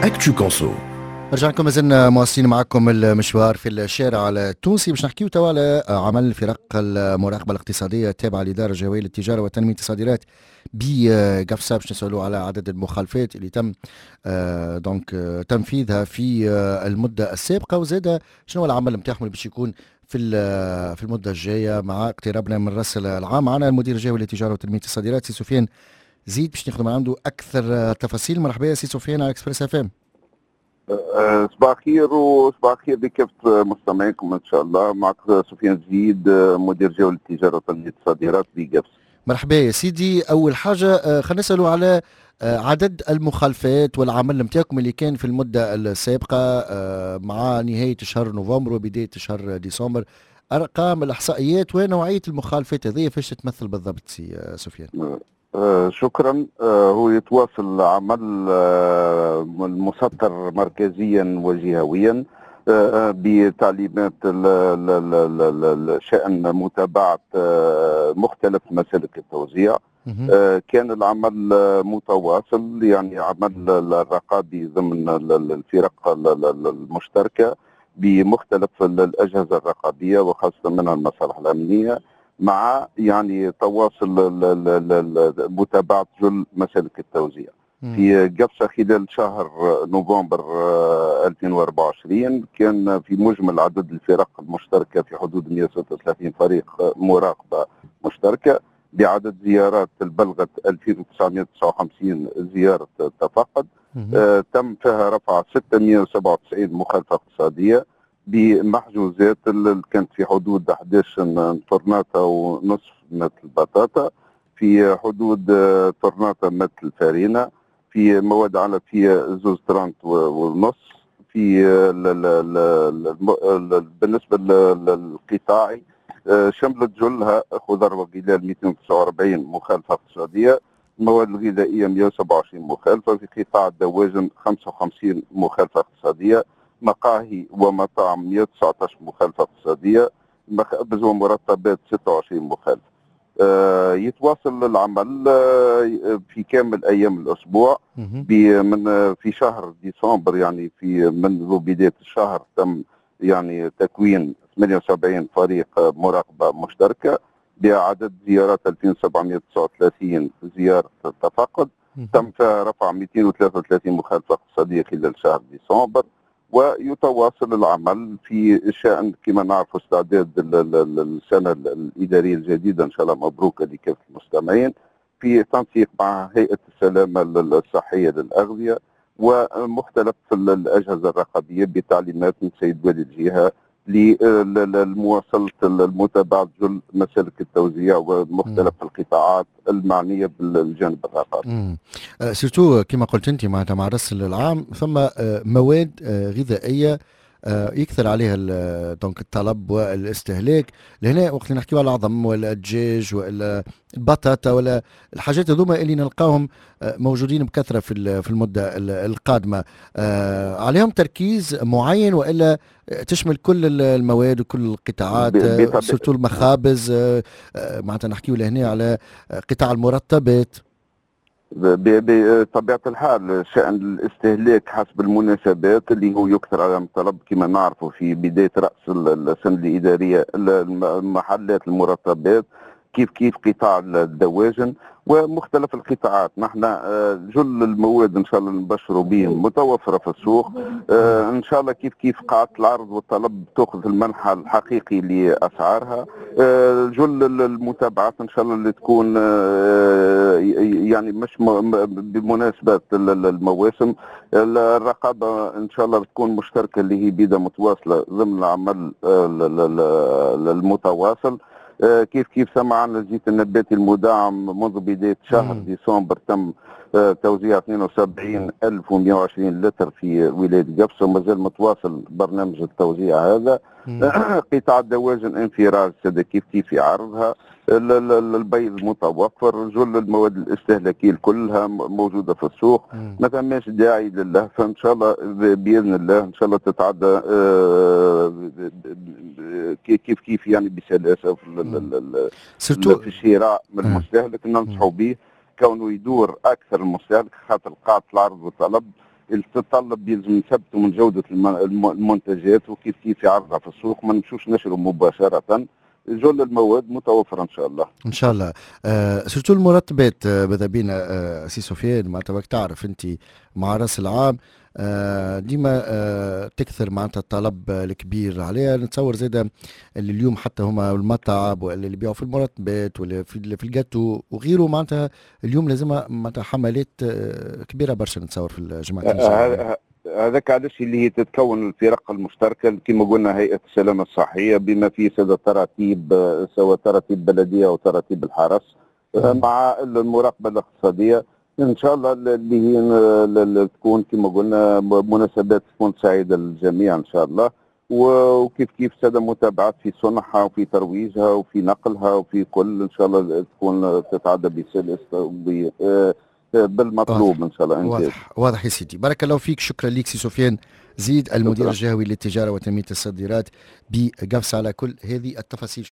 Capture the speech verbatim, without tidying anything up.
Actu Conso. رجعنا لكم، مازلنا مواصلين معكم المشوار في الشارع التونسي. باش نحكيو توا على عمل فرق المراقبة الاقتصادية التابعة للادارة الجهوية للتجارة وتنميه الصادرات بقفصه، باش نسالوا على عدد المخالفات اللي تم آه، donc آه، تنفيذها في آه، المدة السابقه، وزاد شنو العمل نتاعهم اللي باش يكون في في المدة الجاية مع اقترابنا من راس العام. معنا المدير الجهوي للتجارة وتنميه الصادرات سي سفيان زيد باش ناخذ من عنده اكثر تفاصيل. مرحبا يا سي سفيان على Express FM. أه، صباح الخير وصباح الخير لكافة مستمعيكم ان شاء الله. معك سفيان زيد، مدير جهوي للتجارة وتنميه الصادرات بقفصة. مرحبا يا سيدي. اول حاجة أه، خلينا نسالوا على أه، عدد المخالفات والعمل نتاعكم اللي كان في المدة السابقة مع نهاية شهر نوفمبر وبداية شهر ديسمبر، ارقام الاحصائيات ونوعية المخالفات هذه فاش تتمثل بالضبط سي سفيان؟ آه، شكرا. آه، هو يتواصل عمل آه، المسطر مركزيا وجهويا بتعليمات شأن متابعة مختلف مسالك التوزيع. كان العمل متواصل، يعني عمل الرقابي ضمن الفرق المشتركة بمختلف الأجهزة الرقابية وخاصة منها المصالح الأمنية، مع يعني تواصل متابعة جل مسالك التوزيع في قفصة. خلال شهر نوفمبر ألفين وأربعة وعشرين كان في مجمل عدد الفرق المشتركة في حدود مئة وستة وثلاثين فريق مراقبة مشتركة، بعدد زيارات بلغت ألفين وتسعمئة وتسعة وخمسين زيارة تفقد. آه تم فيها رفع ستمئة وسبعة وتسعين مخالفة اقتصادية بمحجوزات اللي كانت في حدود إحداش طرناطة ونصف متر البطاطا، في حدود طرناطة متر الفارينة، في مواد علفية زوز طرناط ونص. في بالنسبة للقطاعي آه، شملت جلها خضر وغلال مئتين وتسعة وأربعين مخالفة اقتصادية، المواد الغذائية مئة وسبعة وعشرين مخالفة، في قطاع الدواجن خمسة وخمسين مخالفة اقتصادية، مقاهي ومطاعم مئة وتسعة عشر مخالفة اقتصادية، مخابز ومرطبات ستة وعشرين مخالفة. آه، يتواصل العمل آه، في كامل ايام الاسبوع. من في شهر ديسمبر، يعني في منذ بداية الشهر، تم يعني تكوين ثمانية وسبعين فريق مراقبة مشتركة بعدد زيارات ألفين وسبعمئة وتسعة وثلاثين زيارة تفقد، تم فيها رفع مئتين وثلاثة وثلاثين مخالفة اقتصادية خلال شهر ديسمبر. ويتواصل العمل في شأن كما نعرف استعداد السنة الإدارية الجديدة، إن شاء الله مبروكة لكافة المستمعين، في تنسيق مع هيئة السلامة الصحية للأغذية ومختلف الأجهزة الرقابية بتعليمات من سيد والي الجهة لمواصلة المتابعة جل مسالك التوزيع ومختلف القطاعات المعنية بالجانب الرقابي. surtout كما قلت انت معناتها مع راس العام ثم آه، مواد آه، غذائية آه، يكثر عليها donc الطلب والاستهلاك. لهنا وقت اللي نحكيو على العظم ولا الدجاج ولا البطاطا ولا الحاجات هذوما اللي نلقاهم آه، موجودين بكثرة في في المدة القادمه، آه، عليهم تركيز معين والا تشمل كل المواد وكل القطاعات، surtout المخابز، معناتها نحكيو لهنا على قطاع المرطبات؟ بطبيعة الحال شأن الاستهلاك حسب المناسبات اللي هو يكثر على الطلب كما نعرفه في بداية رأس السنة الإدارية، المحلات المرطبات، كيف كيف قطاع الدواجن ومختلف القطاعات. نحن آه، جل المواد ان شاء الله نبشروا بهم متوفرة في السوق آه، ان شاء الله. كيف كيف قاعدة العرض والطلب تاخذ المنحى الحقيقي لاسعارها. آه، جل المتابعات ان شاء الله اللي تكون يعني مش بمناسبة المواسم. الرقابة ان شاء الله تكون مشتركة اللي هي بيدا متواصلة ضمن العمل المتواصل. آه، كيف كيف سمعنا الزيت النباتي المدعم منذ بداية شهر مم. ديسمبر تم آه، توزيع اثنين وسبعين ألف ومئة وعشرين لتر في ولاية قفصة، وما زال متواصل برنامج التوزيع هذا. قطاع الدواجن انفراج كيف كيف في عرضها، البيض متوفر، جل المواد الاستهلاكية كلها موجودة في السوق. ما ثماش داعي لله، فان شاء الله باذن الله ان شاء الله تتعدى آه، كيف كيف يعني بسلاسة في في الشراء من المستهلك. ننصحوا به كونه يدور اكثر المستهلك خاطر قاعدة العرض والطلب. تتطلب يلزم نثبتوا من جوده المنتجات وكيف كيف عرضها في السوق، ما نمشوش نشروا مباشره. جل المواد متوفرة ان شاء الله. ان شاء الله. آه surtout المرطبات، آه ماذا بينا آه سي سفيان، معناتها تعرف انت مع راس العام آه ديما آه تكثر معناتها الطلب الكبير عليها. نتصور زاده اللي اليوم حتى هما المطاعم ولا اللي يبيعوا في المرطبات ولا في في الجاتو وغيره، معناتها اليوم لازم معناتها حملات آه كبيرة برشا نتصور في الجمعتين. آه هذاك علاش اللي هي تتكون الفرق المشتركه، كما قلنا هيئة السلامة الصحية بما فيه ساده تراتيب، سواء تراتيب بلديه او تراتيب الحرس، مع المراقبة الاقتصاديه. ان شاء الله اللي هي تكون كما قلنا مناسبات تكون سعيدة للجميع ان شاء الله، وكيف كيف ساده متابعات في صنعها وفي ترويجها وفي نقلها وفي كل، ان شاء الله تكون تتعدى بسلاسة بالمطلوب ان شاء الله. واضح واضح يا سيدي، بارك الله فيك، شكرا لك سي سفيان زيد، المدير الجهوي للتجارة وتنميه الصادرات بقفصه، على كل هذه التفاصيل.